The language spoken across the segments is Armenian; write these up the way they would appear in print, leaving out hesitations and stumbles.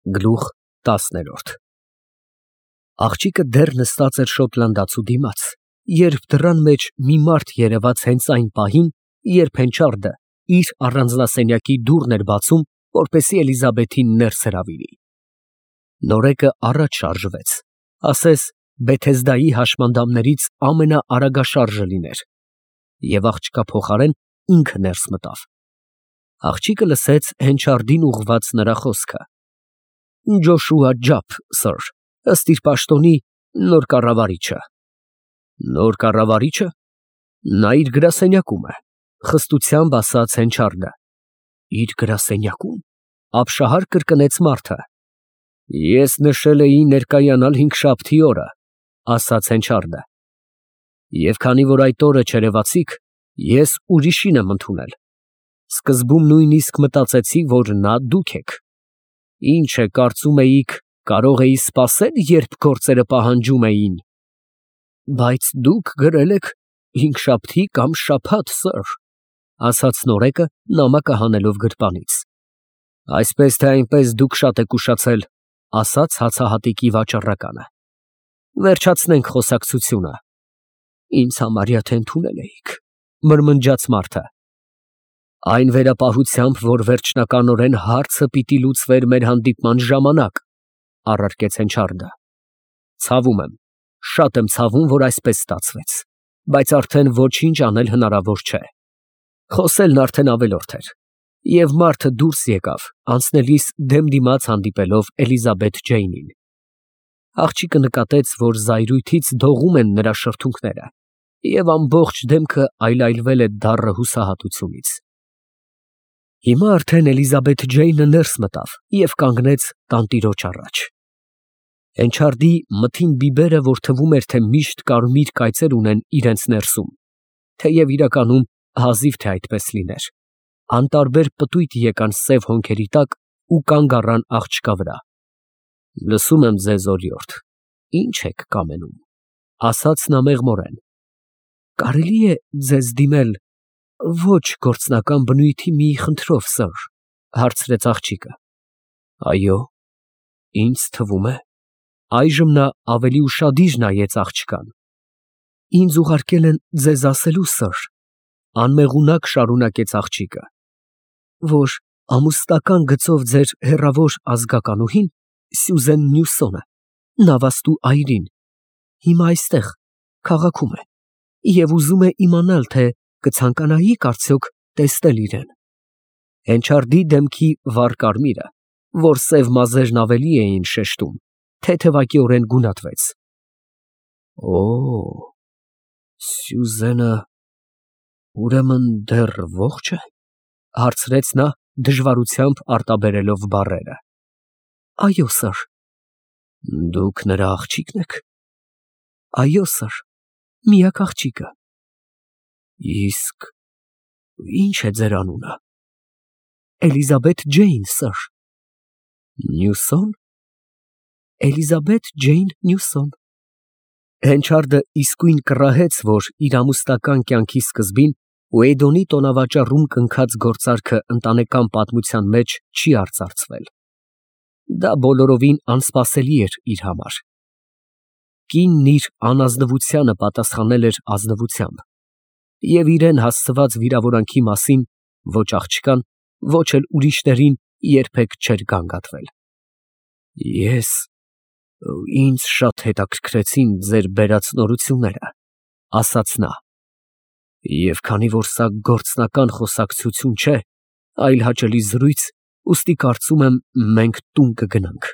Գլուխ 10 Աղջիկը դեռ նստած էր շոտլանդացու դիմաց, երբ դռան մեջ մի մարդ երևաց հենց այն պահին, երբ Հենչարդը իր առանձնասենյակի դուռն էր բացում, որպեսզի Էլիզաբեթին ներս հրավիրի։ Նորեկը առաջ շարժվեց, ասես Բեթեսդայի հաշմանդամներից ամենաարագաշարժը լիներ, և աղջկա փոխարեն ինքը ներս մտավ։ Աղջիկը լսեց Հենչարդին ուղղված նրա խոսքը. Ջոշուա Ջափ, սըր, ըստ իր պաշտոնի նոր կառավարիչը։ Նոր կառավարիչը։ Նա իր գրասենյակում է, խստությամբ ասաց Հենչարդը։ Իր գրասենյակում։ Ապշահար կրկնեց մարդը։ Ես նշել էի ներկայանալ հինգշաբթի օրը, ասաց Հենչարդը։ Եվ քանի որ այդ օրը չերևացիք, ես ուրիշին եմ ընդունել։ Սկզբում նույնիսկ մտածեցի, որ նա դուք եք։ Ինչ է, կարծում էիք, կարող էի սպասել, երբ գործերը պահանջում էին։ Բայց դուք գրել եք հինգշաբթի կամ շաբաթ, սըր, ասաց նորեկը, նամակը հանելով գրպանից։ Այսպես թե այնպես դուք շատ եք ուշացել, ասաց հացահատիկի վաճառականը։ Վերջացնենք խոսակցությունը։ Ինձ համարյա թե ընդունել էիք, մրմնջաց մարդը։ Այն վերապահությամբ, որ վերջնականորեն հարցը պիտի լուծվեր մեր հանդիպման ժամանակ, առարկեց Հենչարդը։ Ցավում եմ, շատ եմ ցավում, որ այսպես ստացվեց, բայց արդեն ոչինչ անել հնարավոր չէ։ Խոսելն արդեն ավելորդ էր, և մարդը դուրս եկավ, անցնելիս դեմ դիմաց հանդիպելով Էլիզաբեթ Ջեյնին։ Աղջիկը նկատեց, որ զայրույթից դողում են նրա շրթունքները, և ամբողջ դեմքը այլայլվել է դառը հուսահատությունից։ Հիմա արդեն Էլիզաբեթ Ջեյնը ներս մտավ և կանգնեց տանտիրոջ առաջ։ Հենչարդի մթին բիբերը, որ թվում էր, թե միշտ կարմիր կայծեր ունեն իրենց ներսում, թեև իրականում հազիվ թե այդպես լիներ, անտարբեր պտույտ եկան սև հոնքերի տակ ու կանգ առան աղջկա վրա։ Լսում եմ ձեզ, օրիորդ, ինչ եք կամենում, ասաց նա մեղմորեն։ Կարելի է ձեզ դիմել ոչ գործնական բնույթի մի խնդրով, սըր, հարցրեց աղջիկը։ Այո, ինձ թվում է։ Այժմ նա ավելի ուշադիր նայեց աղջկան։ Ինձ ուղարկել են ձեզ ասելու, սըր, անմեղունակ շարունակեց աղջիկը, որ ամուսնական գծով ձեր հեռավոր ազգականուհին Սյուզեն Նյուսոնը, նավաստու այրին, հիմա այստեղ, քաղաքում է, և ուզում է իմանալ, թե կցանկանայիք արդյոք տեսնել իրեն։ Հենչարդի դեմքի վառ կարմիրը, որ սև մազերն ավելի էին շեշտում, թեթևակիորեն գունատվեց։ Օ, Սյուզենը ուրեմն դեռ ողջ է, հարցրեց նա, դժվարությամբ արտաբերելով բառերը։ Այո, սըր։ Դուք նրա աղջիկն եք։ Այո, սըր, միակ աղջիկը։ Իսկ ի՞նչ է ձեր անունը։ Էլիզաբեթ Ջեյն, սըր։ Նյուսոն։ Էլիզաբեթ Ջեյն Նյուսոն։ Հենչարդը իսկույն կռահեց, որ իր ամուսնական կյանքի սկզբին Ուեյդոնի տոնավաճառում կնքած գործարքը ընտանեկան պատմության մեջ չի արծարծվել։ Դա բոլորովին անսպասելի էր իր համար։ Կինն իր անազնվությանը պատասխանել էր ազնվությամբ, և իրեն հասցված վիրավորանքի մասին ոչ աղջկան, ոչ էլ ուրիշներին երբեք չէր գանգատվել։ Ինձ շատ հետաքրքրեցին ձեր բերած նորությունները, ասաց նա, և քանի որ սա գործնական խոսակցություն չէ, այլ հաճելի զրույց, ուստի կարծում եմ մենք տուն կգնանք։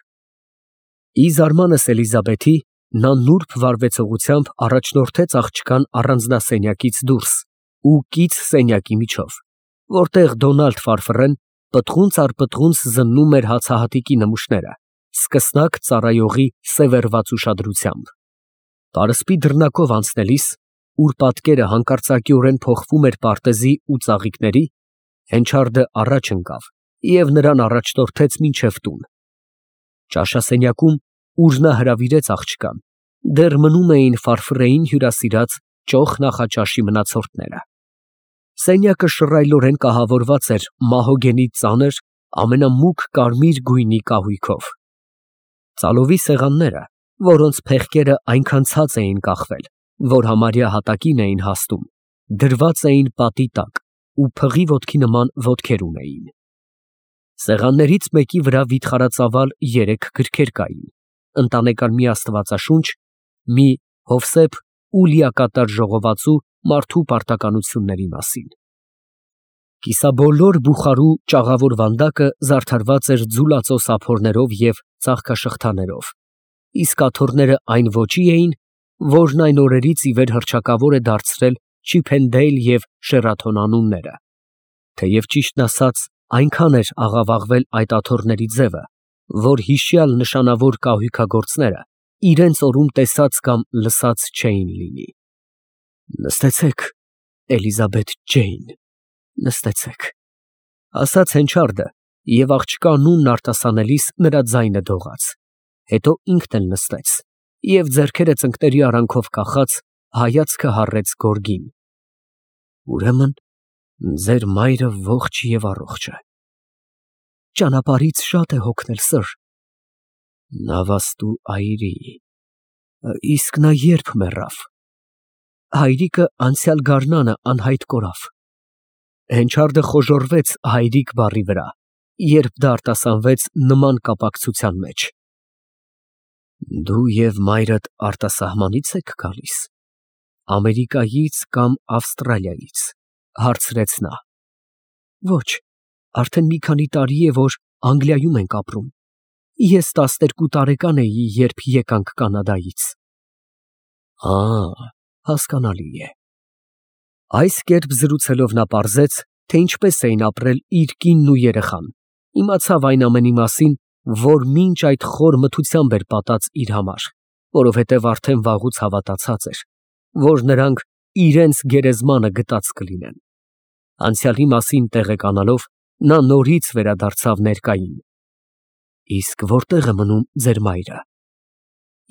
Ի զարմանս Էլիզաբեթի, նա նուրբ վարվեցողությամբ առաջնորդեց աղջկան առանձնասենյակից դուրս ու կից սենյակի միջով, որտեղ Դոնալդ Ֆարֆռեն պտղունց առ պտղունց զննում էր հացահատիկի նմուշները, սկսնակ ծառայողի սևեռված ուշադրությամբ։ Պարսպի դռնակով անցնելիս, ուր պատկերը հանկարծակիորեն փոխվում էր պարտեզի ու ծաղիկների, Հենչարդը առաջ ընկավ և նրան առաջնորդեց մինչև տուն։ Ճաշասենյակում, ուր նա հրավիրեց աղջկան, դեռ մնում էին Ֆարֆռեին հյուրասիրած ճոխ նախաճաշի մնացորդները։ Սենյակը շռայլորեն կահավորված էր մահոգենի ծանր, ամենամուգ կարմիր գույնի կահույքով։ Ծալովի սեղանները, որոնց փեղկերը այնքան ցած էին կախվել, որ համարյա հատակին էին հասնում, դրված էին պատի տակ ու փղի ոտքի նման ոտքեր ունեին։ Սեղաններից մեկի վրա վիթխարածավալ 3 գրքեր կային, ընտանեկան մի աստվածաշունչ, մի Հովսեփ ու լիակատար ժողովածու մարդու պարտականությունների մասին։ Կիսաբոլոր բուխարու ճաղավոր վանդակը զարդարված էր ձուլածո սափորներով և ծաղկաշղթաներով, իսկ աթոռները այն ոճի էին, որն այն օրերից ի վեր հռչակավոր է դարձրել Չիփենդեյլ և Շերաթոն անունները, թեև ճիշտն ասած այնքան էր աղավաղվել այդ աթոռների ձևը, որ հիշյալ նշանավոր կահույքագործները իրենց օրում տեսած կամ լսած չէին լինի։ Նստեցեք, Էլիզաբեթ Ջեյն, նստեցեք, ասաց Հենչարդը և աղջկա անունն արտասանելիս նրա ձայնը դողաց, հետո ինքն էլ նստեց և ձեռքերը ծնկների արանքով կախած հայացքը հառեց գորգին։ Ուրեմն ձեր մայրը ողջ և առողջ է։ Ճանապարհից շատ է հոգնել, սըր։ Նավաստու այրի։ Իսկ նա երբ մեռավ։ Հայրիկը անցյալ գարնանը անհայտ կորավ։ Հենչարդը խոժոռվեց հայրիկ բառի վրա, երբ դա արտասանվեց նման կապակցության մեջ։ Դու և մայրդ արտասահմանի՞ց եք գալիս, Ամերիկայից կամ Ավստրալիայից, հարցրեց նա։ Ոչ, արդեն մի քանի տարի է, որ Անգլիայում ենք ապրում։ Ես 12 տարեկան էի, երբ եկանք Կանադայից։ Հասկանալի է։ Այս կերպ զրուցելով նա պարզեց, թե ինչպես էին ապրել իր կինն ու երեխան, իմացավ այն ամենի մասին, որ մինչ այդ խոր մթությամբ էր պատած իր համար, որովհետև արդեն վաղուց հավատացած էր, որ նրանք իրենց գերեզմանը գտած կլինեն։ Անցյալի մասին տեղեկանալով, նա նորից վերադարձավ ներկային։ Իսկ որտե՞ղ է մնում ձեր մայրը։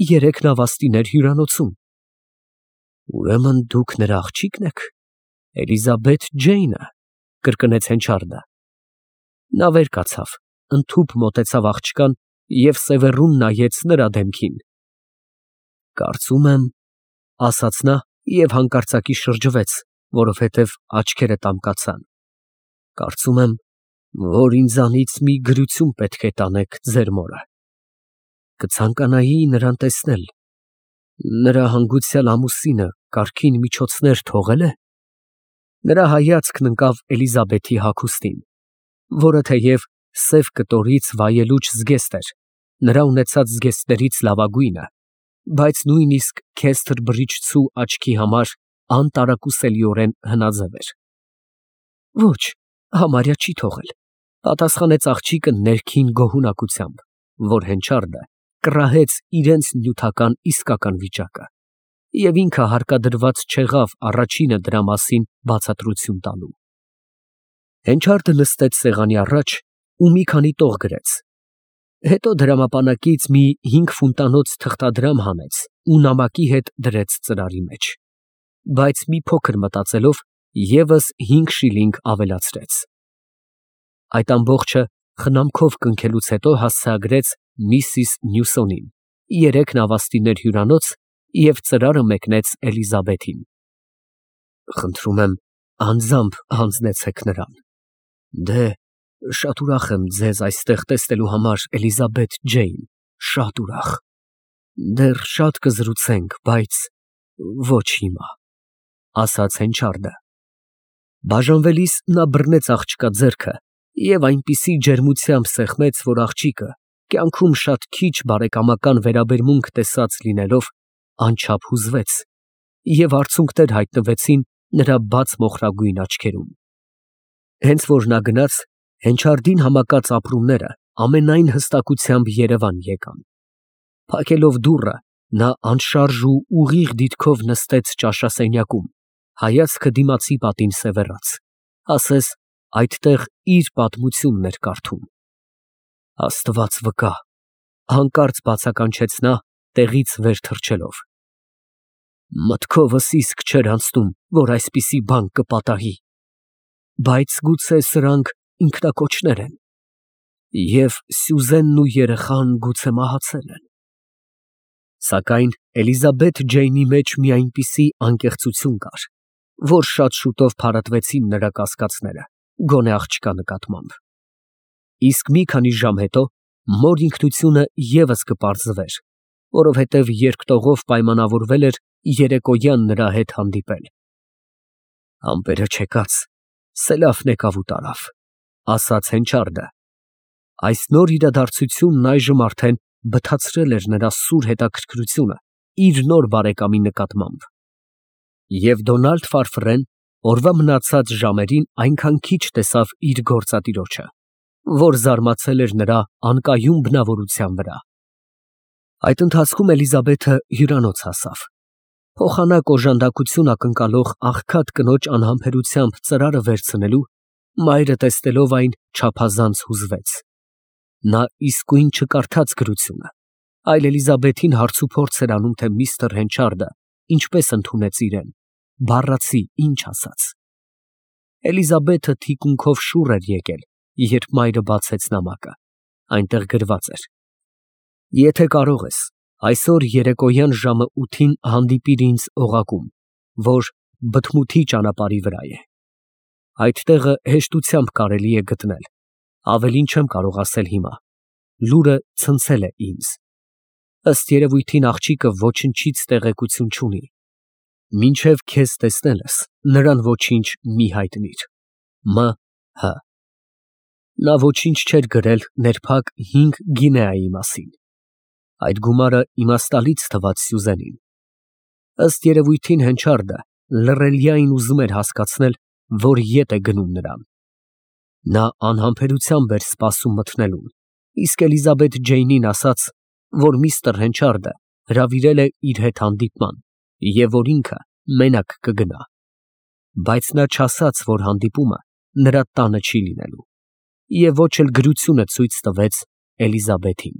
3 նավաստիներ հյուրանոցում։ Ուրեմն դուք նրա աղջիկն եք, Էլիզաբեթ Ջեյնը, կրկնեց Հենչարդը։ Նա վեր կացավ, ընդհուպ մոտեցավ աղջկան և սևեռուն նայեց նրա դեմքին։ Կարծում եմ, ասաց նա և հանկարծակի շրջվեց, որովհետև աչքերը տամկացան։ Կարծում եմ, որ ինձանից մի գրություն պետք է տանեք ձեր մորը։ Կցանկանայի նրան տեսնել։ Նրա հանգուցյալ ամուսինը կարգին միջոցներ թողե՞լ է։ Նրա հայացքն ընկավ Էլիզաբեթի հագուստին, որը թեև սև կտորից վայելուչ զգեստ էր, նրա ունեցած զգեստներից լավագույնը, բայց նույնիսկ քեստր բրիչցու աչքի համար անտարակուսելիորեն հնաձև էր։ Ոչ, համարյա չի թողել, պատասխանեց աղջիկը ներքին գոհունակությամբ, որ Հենչարդը կռահեց իրենց նյութական իսկական վիճակը, և ինքը հարկադրված չեղավ առաջինը դրա մասին բացատրություն տալու։ Հենչարդը նստեց սեղանի առաջ ու մի քանի տող գրեց, հետո դրամապանակից մի 5 ֆունտանոց թղթադրամ հանեց ու նամակի հետ դրեց ծրարի մեջ, բայց մի փոքր մտածելով ևս 5 շիլինգ ավելացրեց։ Այդ ամբողջը խնամքով կնքելուց հետո հասցեագրեց միսիս Նյուսոնին 3 նավաստիներ հյուրանոց և ծրարը մեկնեց Էլիզաբեթին։ Խնդրում եմ, անձամբ հանձնեցեք նրան։ Դե, շատ ուրախ եմ ձեզ այստեղ տեսնելու համար, Էլիզաբեթ Ջեյն, շատ ուրախ։ Դեռ շատ կզրուցենք, բայց ոչ հիմա, ասաց Հենչարդը։ Բաժանվելիս նա բռնեց աղջկա ձեռքը և այնպիսի ջերմությամբ սեղմեց, որ աղջիկը, կյանքում շատ քիչ բարեկամական վերաբերմունք տեսած լինելով, անչափ հուզվեց, և արցունքներ հայտնվեցին նրա բաց մոխրագույն աչքերում։ Հենց որ նա գնաց, Հենչարդին համակած ապրումները ամենայն հստակությամբ երևան եկան։ Փակելով դուռը, նա անշարժ ու ուղիղ դիրքով նստեց ճաշասենյակում, հայացքը դիմացի պատին սևեռած, ասես այդտեղ իր պատմությունն էր կարդում։ Աստված վկա, հանկարծ բացականչեց նա, տեղից վեր թռչելով։ Մտքովս իսկ չէր անցնում, որ այսպիսի բան կպատահի, բայց գուցե սրանք ինքնակոչներ են։ Եվ Սյուզենն ու երեխան գուցե մահացել են։ Սակայն Էլիզաբեթ Ջեյնի մեջ մի այնպիսի անկեղծություն կար, որ շատ շուտով փարատվեցին նրա կասկածները, գոնե աղջկա նկատմամբ։ Իսկ մի քանի ժամ հետո մոր ինքնությունը ևս կպարզվեր, որովհետև երկտողով պայմանավորվել էր երեկոյան նրա հետ հանդիպել։ Ամպերը չեկած, սելավն եկավ ու տարավ, ասաց Հենչարդը։ Այս նոր իրադարձությունն այժմ արդեն բթացրել էր նրա սուր հետաքրքրությունը իր նոր բարեկամի նկատմամբ։ Եվ Դոնալդ Ֆարֆրեն օրվա մնացած ժամերին այնքան քիչ տեսավ իր գործատիրոջը, որ զարմացել էր նրա անկայուն բնավորության վրա։ Այդ ընթացքում Էլիզաբեթը հյուրանոց հասավ։ Փոխանակ օժանդակություն ակնկալող աղքատ կնոջ անհամբերությամբ ծրարը վերցնելու, մայրը տեսնելով այն չափազանց հուզվեց։ Նա իսկույն չկարդաց գրությունը, այլ Էլիզաբեթին հարցուփորձ էր անում, թե միստր Հենչարդը ինչպես ընդունեց իրեն, բառացի ինչ ասաց։ Էլիզաբեթը թիկունքով շուռ էր եկել, երբ մայրը բացեց նամակը։ Այնտեղ գրված էր. Եթե կարող ես, այսօր երեկոյան ժամը 8-ին հանդիպիր ինձ օղակում, որ Բթմութի ճանապարհի վրա է։ Այդ տեղը հեշտությամբ կարելի է գտնել, ավելին չեմ կարող ասել հիմա, լուրը ցնցել է ինձ։ Ըստ երևույթին աղջիկը ոչնչից տեղեկություն չունի։ Մինչև քեզ տեսնելս, նրան ոչինչ մի հայտնիր։ M.H. Նա ոչինչ չէր գրել ներփակ 5 գինեայի մասին։ Այդ գումարը իմաստալից թվաց Սյուզենին։ Ըստ երևույթին Հենչարդը լռելյային ուզում էր հասկացնել, որ ետ է գնում նրան։ Նա անհամբերությամբ էր սպասում մտնելուն, իսկ Էլիզաբեթ Ջեյնին ասաց, որ միստր Հենչարդը հրավիրել է իր հետ հանդիպման և որ ինքը մենակ կգնա։ Բայց նա չասաց, որ հանդիպումը նրա տանը չի լինելու, և ոչ էլ գրությունը ցույց տվեց Էլիզաբեթին։